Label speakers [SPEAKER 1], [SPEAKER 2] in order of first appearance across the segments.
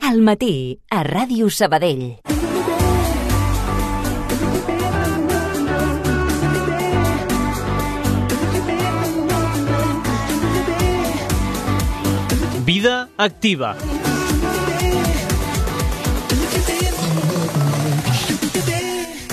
[SPEAKER 1] Al matí, a Ràdio Sabadell.
[SPEAKER 2] Vida activa.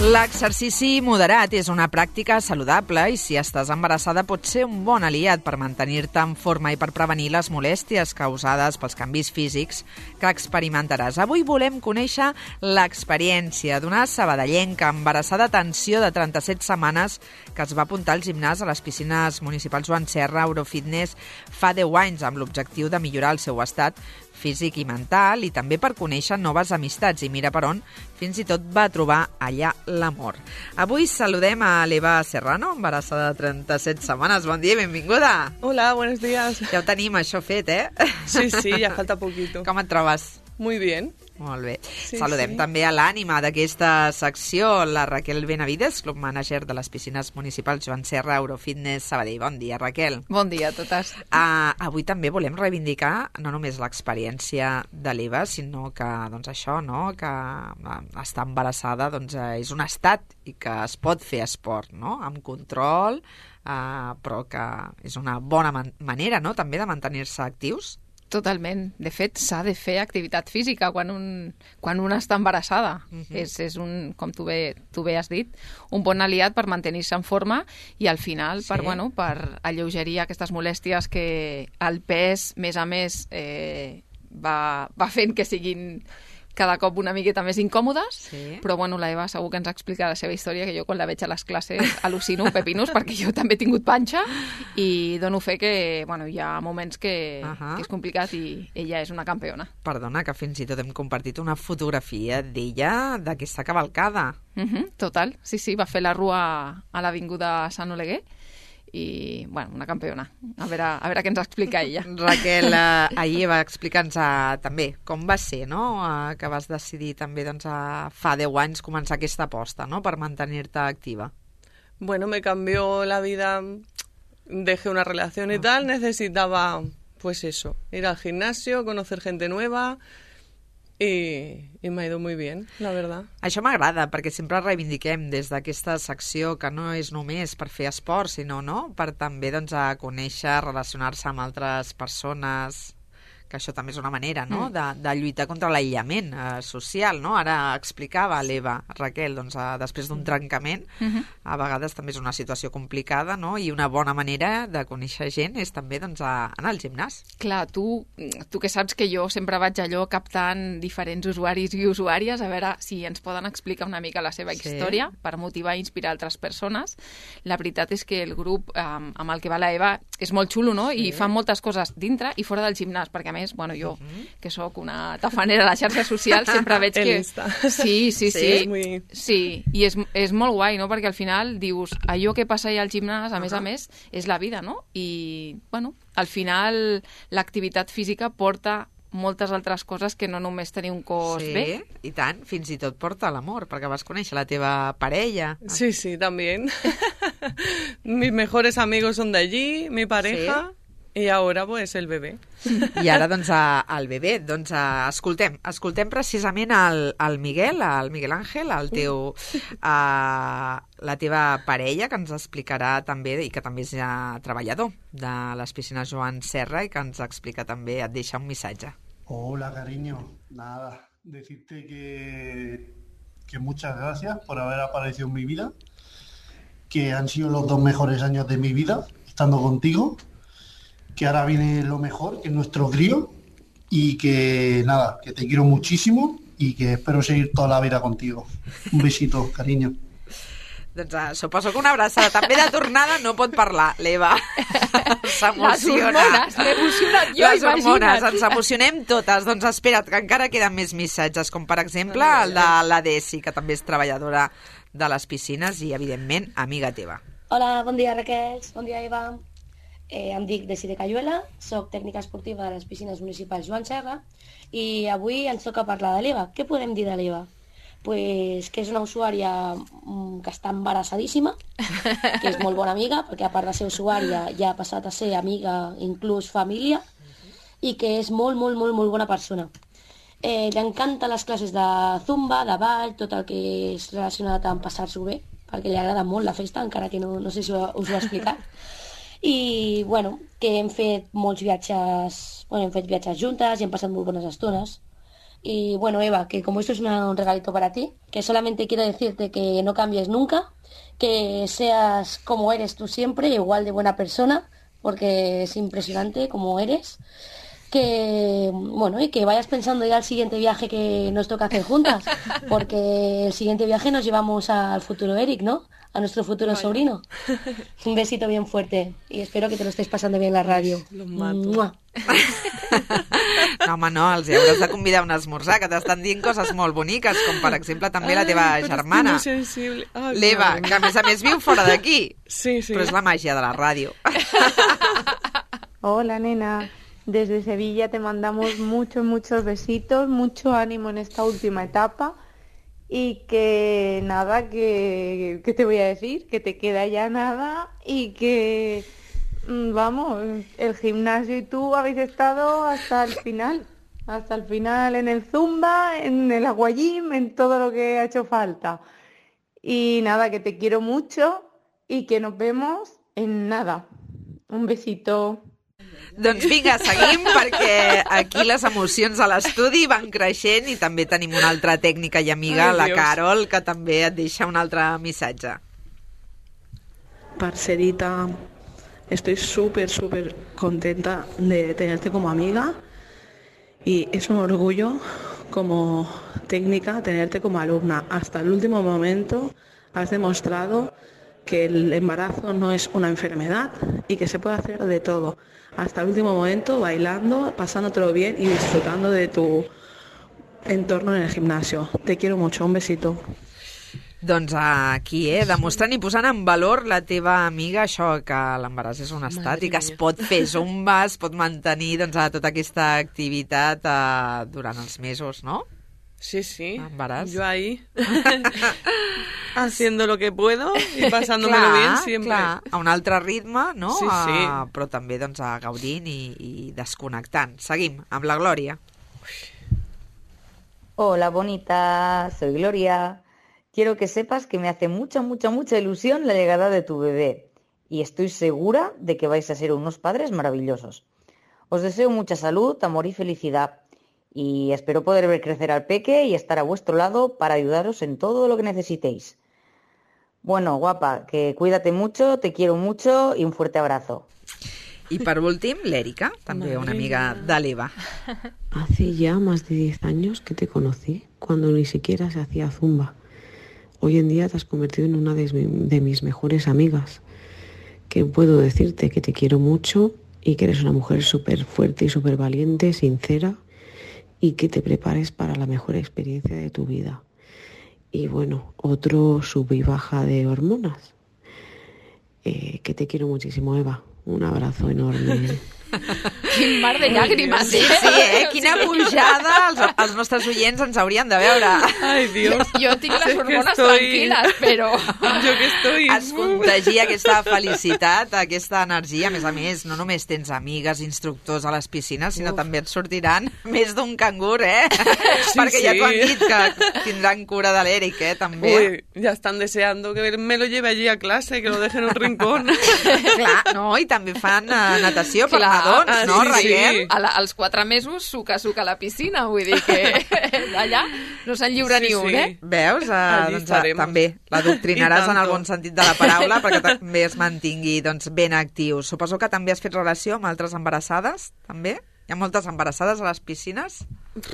[SPEAKER 3] L'exercici moderat és una pràctica saludable i si estàs embarassada pot ser un bon aliat per mantenir-te en forma i per prevenir les molèsties causades pels canvis físics que experimentaràs. Avui volem conèixer l'experiència d'una sabadellenca embarassada d'atenció de 37 setmanes que es va apuntar al gimnàs a les piscines municipals Joan Serra Eurofitness fa 10 anys amb l'objectiu de millorar el seu estat físic i mental i també per conèixer noves amistats i mira per on fins i tot va trobar allà l'amor. Avui saludem a l'Eva Serrano, embarassada de 37 setmanes. Bon dia i benvinguda.
[SPEAKER 4] Hola, buenos días.
[SPEAKER 3] Ja ho tenim això fet, eh?
[SPEAKER 4] Sí, ya falta poquito.
[SPEAKER 3] Com et trobes?
[SPEAKER 4] Muy bien.
[SPEAKER 3] Molt bé.
[SPEAKER 4] Sí,
[SPEAKER 3] Saludem també a l'ànima d'aquesta secció, la Raquel Benavides, club manager de les piscines municipals Joan Serra Eurofitness Sabadell. Bon dia, Raquel.
[SPEAKER 5] Bon dia a totes.
[SPEAKER 3] Avui també volem reivindicar no només l'experiència de l'Eva, sinó que doncs això, no? Que estar embarassada doncs, és un estat i que es pot fer esport, no? Amb control, però que és una bona manera, no? També de mantenir-se actius.
[SPEAKER 5] Totalment. De fet, s'ha de fer activitat física quan una està embarassada. És un, com tu bé has dit, un bon aliat per mantenir-se en forma i al final per alleugerir aquestes molèsties que el pes, més a més, va fent que siguin cada cop una miqueta més incòmodes, però bueno, la Eva segur que ens explica la seva història, que jo quan la veig a les classes al·lucino pepinus, perquè jo també he tingut panxa i dono fe que bueno, hi ha moments que és complicat i ella és una campiona.
[SPEAKER 3] Perdona, que fins i tot hem compartit una fotografia d'ella d'aquesta cavalcada.
[SPEAKER 5] Total, sí, va fer la rua a l'Avinguda Sant Oleguer i, bueno, una campiona. A veure què ens explica ella.
[SPEAKER 3] Raquel, ahir va explicar-nos també com va ser, no?, que vas decidir també doncs, fa 10 anys començar aquesta aposta, no?, per mantenir-te activa.
[SPEAKER 4] Bueno, me cambió la vida, dejé una relación y tal, necesitaba, pues eso, ir al gimnasio, conocer gente nueva. I m'ha ido muy bien, la verdad.
[SPEAKER 3] Això m'agrada, perquè sempre reivindiquem des d'aquesta secció que no és només per fer esport, sinó per també doncs, a conèixer, relacionar-se amb altres persones, que això també és una manera no? de lluitar contra l'aïllament social. No? Ara explicava l'Eva, Raquel, doncs, després d'un trencament, a vegades també és una situació complicada, no? I una bona manera de conèixer gent és també doncs, anar al gimnàs.
[SPEAKER 5] Clar, tu que saps que jo sempre vaig allò captant diferents usuaris i usuàries, a veure si ens poden explicar una mica la seva història per motivar i inspirar altres persones. La veritat és que el grup amb el que va la Eva és molt xulo, no? I fan moltes coses dintre i fora del gimnàs, perquè a més, bueno, jo, que sóc una tafanera a les xarxes socials, sempre veig que... Sí. Sí, i és molt guai, no? Perquè al final dius, allò que passa allà al gimnàs, a més, és la vida, no? I, bueno, al final l'activitat física porta moltes altres coses que no només tenir un cos bé.
[SPEAKER 3] Sí, i tant, fins i tot porta l'amor, perquè vas conèixer la teva parella.
[SPEAKER 4] Sí, también. Mis mejores amigos son de allí, mi pareja... Sí. I ara, pues, el bebè.
[SPEAKER 3] I ara, doncs, el bebè. Doncs, escoltem precisament el Miguel Ángel, la teva parella, que ens explicarà també, i que també és treballador de les piscines Joan Serra, i que ens explica també, et deixa un missatge.
[SPEAKER 6] Hola, cariño. Nada, decirte que muchas gracias por haber aparecido en mi vida, que han sido los 2 mejores años de mi vida, estando contigo, que ahora viene lo mejor, que es nuestro crío, y que nada, que te quiero muchísimo y que espero seguir toda la vida contigo. Un besito, cariño.
[SPEAKER 3] Doncs suposo que una abraçada també de tornada no pot parlar, l'Eva. S'emociona.
[SPEAKER 5] M'he emocionat jo,
[SPEAKER 3] les hormones, ens emocionem totes. Doncs espera't, que encara queden més missatges, com per exemple el de la Desi, que també és treballadora de les piscines i, evidentment, amiga teva.
[SPEAKER 7] Hola, bon dia, Raquel. Bon dia, Eva. Em dic Desi de Cayuela, soc tècnica esportiva de les piscines municipals Joan Serra i avui ens toca parlar de l'Eva. Què podem dir de l'Eva? Pues que és una usuària que està embarassadíssima, que és molt bona amiga, perquè a part de ser usuària ja ha passat a ser amiga, inclús família, i que és molt bona persona. Li encanten les classes de zumba, de ball, tot el que és relacionat amb passar-s'ho bé, perquè li agrada molt la festa, encara que no sé si us ho he explicat. I, bueno, que hem fet molts viatges, hem fet viatges juntes i hem passat molt bones estones. Y bueno, Eva, que como esto es un regalito para ti, que solamente quiero decirte que no cambies nunca, que seas como eres tú siempre, igual de buena persona, porque es impresionante como eres. Que, bueno, y que vayas pensando ya al siguiente viaje que nos toca hacer juntas, porque el siguiente viaje nos llevamos al futuro Eric, ¿no? A nuestro futuro sobrino. Un besito bien fuerte y espero que te lo estés pasando bien en la radio.
[SPEAKER 4] Los mato.
[SPEAKER 7] ¡Mua!
[SPEAKER 3] No, home, no, els hi hauràs de convidar a un esmorzar, que t'estan dient coses molt boniques, com per exemple també la teva germana, l'Eva, que a més viu fora d'aquí.
[SPEAKER 4] Sí.
[SPEAKER 3] Però és la màgia de la ràdio.
[SPEAKER 8] Hola, nena. Desde Sevilla te mandamos muchos besitos, mucho ánimo en esta última etapa y que nada, que te voy a decir, que te queda ya nada y que, vamos, el gimnasio y tú habéis estado hasta el final en el zumba, en el aquagym, en todo lo que ha hecho falta. Y nada, que te quiero mucho y que nos vemos en nada. Un besito.
[SPEAKER 3] Doncs vinga, seguim, perquè aquí les emocions a l'estudi van creixent i també tenim una altra tècnica i amiga, la Carol, que també et deixa un altre missatge.
[SPEAKER 9] Parcerita, estoy súper contenta de tenerte como amiga y es un orgullo como técnica tenerte como alumna. Hasta el último momento has demostrado que el embarazo no es una enfermedad y que se puede hacer de todo. Hasta el último momento, bailando, pasándotelo bien y disfrutando de tu entorno en el gimnasio. Te quiero mucho, un besito.
[SPEAKER 3] Doncs aquí, demostrant i posant en valor la teva amiga, això que l'embaràs és un estat i que es pot fer zumba, es pot mantenir tota aquesta activitat durant els mesos, no?
[SPEAKER 4] Sí,
[SPEAKER 3] Embaràs.
[SPEAKER 4] yo ahí haciendo lo que puedo y pasándomelo bien siempre.
[SPEAKER 3] Clar, a un altre ritme, no?
[SPEAKER 4] Sí.
[SPEAKER 3] Però també gaudint i desconnectant. Seguim amb la Glòria.
[SPEAKER 10] Hola, bonita, soy Gloria. Quiero que sepas que me hace mucha ilusión la llegada de tu bebé y estoy segura de que vais a ser unos padres maravillosos. Os deseo mucha salud, amor y felicidad. Y espero poder ver crecer al peque y estar a vuestro lado para ayudaros en todo lo que necesitéis. Bueno, guapa, que cuídate mucho, te quiero mucho y un fuerte abrazo.
[SPEAKER 3] Y por último, l'Èrica, també una amiga de l'Eva.
[SPEAKER 11] Hace ya más de 10 años que te conocí, cuando ni siquiera se hacía zumba. Hoy en día te has convertido en una de mis mejores amigas. Que puedo decirte que te quiero mucho y que eres una mujer súper fuerte y súper valiente, sincera, y que te prepares para la mejor experiencia de tu vida. Y bueno, otro sub y baja de hormonas. Que te quiero muchísimo, Eva. Un abrazo enorme.
[SPEAKER 5] Quin mar de llàgrimes,
[SPEAKER 3] Sí, quina pujada. Els nostres oients ens haurien de veure.
[SPEAKER 4] Ai, Dios.
[SPEAKER 5] Jo tinc les hormones tranquil·les, però...
[SPEAKER 4] Jo que estoy...
[SPEAKER 3] Es contagia aquesta felicitat, aquesta energia. A més, no només tens amigues, instructors a les piscines, sinó també et sortiran més d'un cangur,
[SPEAKER 4] Sí,
[SPEAKER 3] perquè ja t'ho han dit que tindran cura de l'Eric, també.
[SPEAKER 4] Uy, ya están deseando que me lo lleve allí a clase, que lo deje en un rincón.
[SPEAKER 3] Clar, no, i també fan natació per nadons, no, Raquel?
[SPEAKER 5] Als 4 mesos suca a la piscina, vull dir que allà no se'n lliura ni un,
[SPEAKER 3] Veus? Doncs, també l'adoctrinaràs en el bon sentit de la paraula perquè també es mantingui ben actiu. Suposo que també has fet relació amb altres embarassades, també? Hi ha moltes embarassades a les piscines?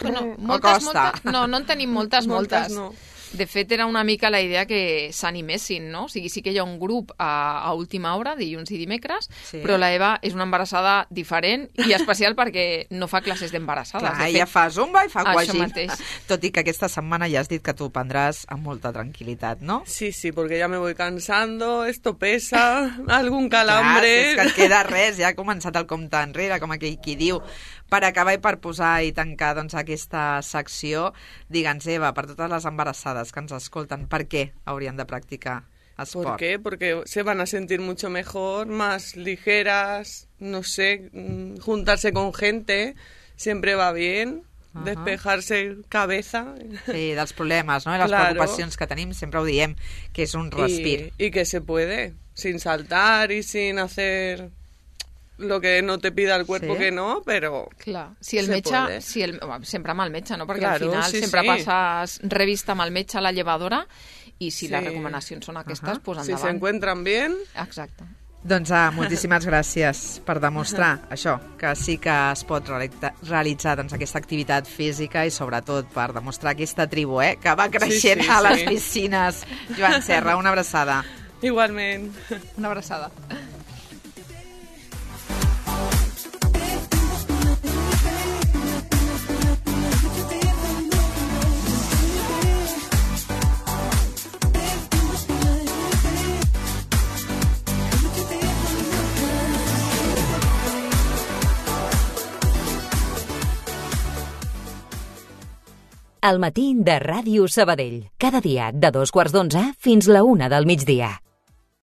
[SPEAKER 5] Bueno,
[SPEAKER 3] moltes.
[SPEAKER 5] No en tenim moltes.
[SPEAKER 4] No.
[SPEAKER 5] De fet, era una mica la idea que s'animessin, no? O sigui, sí que hi ha un grup a última hora, dilluns i dimecres, però la Eva és una embarassada diferent i especial perquè no fa classes d'embarassades.
[SPEAKER 3] Clar, ella fa zumba i fa aquagym.
[SPEAKER 5] mateix.
[SPEAKER 3] Tot i que aquesta setmana ja has dit que t'ho prendràs amb molta tranquil·litat, no?
[SPEAKER 4] Sí, porque ya me voy cansando, esto pesa, algún calambre...
[SPEAKER 3] Clar, és que et queda res, ja ha començat el compte enrere, com aquell qui diu. Per acabar i per posar i tancar aquesta secció, digue'ns, Eva, per totes les embarassades que ens escolten, per què haurien de practicar esport?
[SPEAKER 4] ¿Por qué? Porque se van a sentir mucho mejor, más ligeras, no sé, juntarse con gente siempre va bien, despejarse cabeza.
[SPEAKER 3] Sí, dels problemes, no? I les preocupacions que tenim, sempre ho diem, que és un respir.
[SPEAKER 4] Y que se puede, sin saltar y sin hacer lo que no te pida el cuerpo, que no, però
[SPEAKER 5] clar, si el metge, sempre amb el metge, no? Perquè al final sempre passes revista amb el metge a la llevadora i si les recomanacions són aquestes, doncs endavant.
[SPEAKER 4] Si se encuentran bien...
[SPEAKER 5] Exacte.
[SPEAKER 3] Doncs moltíssimes gràcies per demostrar això, que sí que es pot realitzar aquesta activitat física i sobretot per demostrar aquesta tribu que va creixent a les piscines. Joan Serra, una abraçada.
[SPEAKER 4] Igualment.
[SPEAKER 5] Una abraçada.
[SPEAKER 1] Al matí de Ràdio Sabadell. Cada dia de 2:15 fins la 1 del migdia.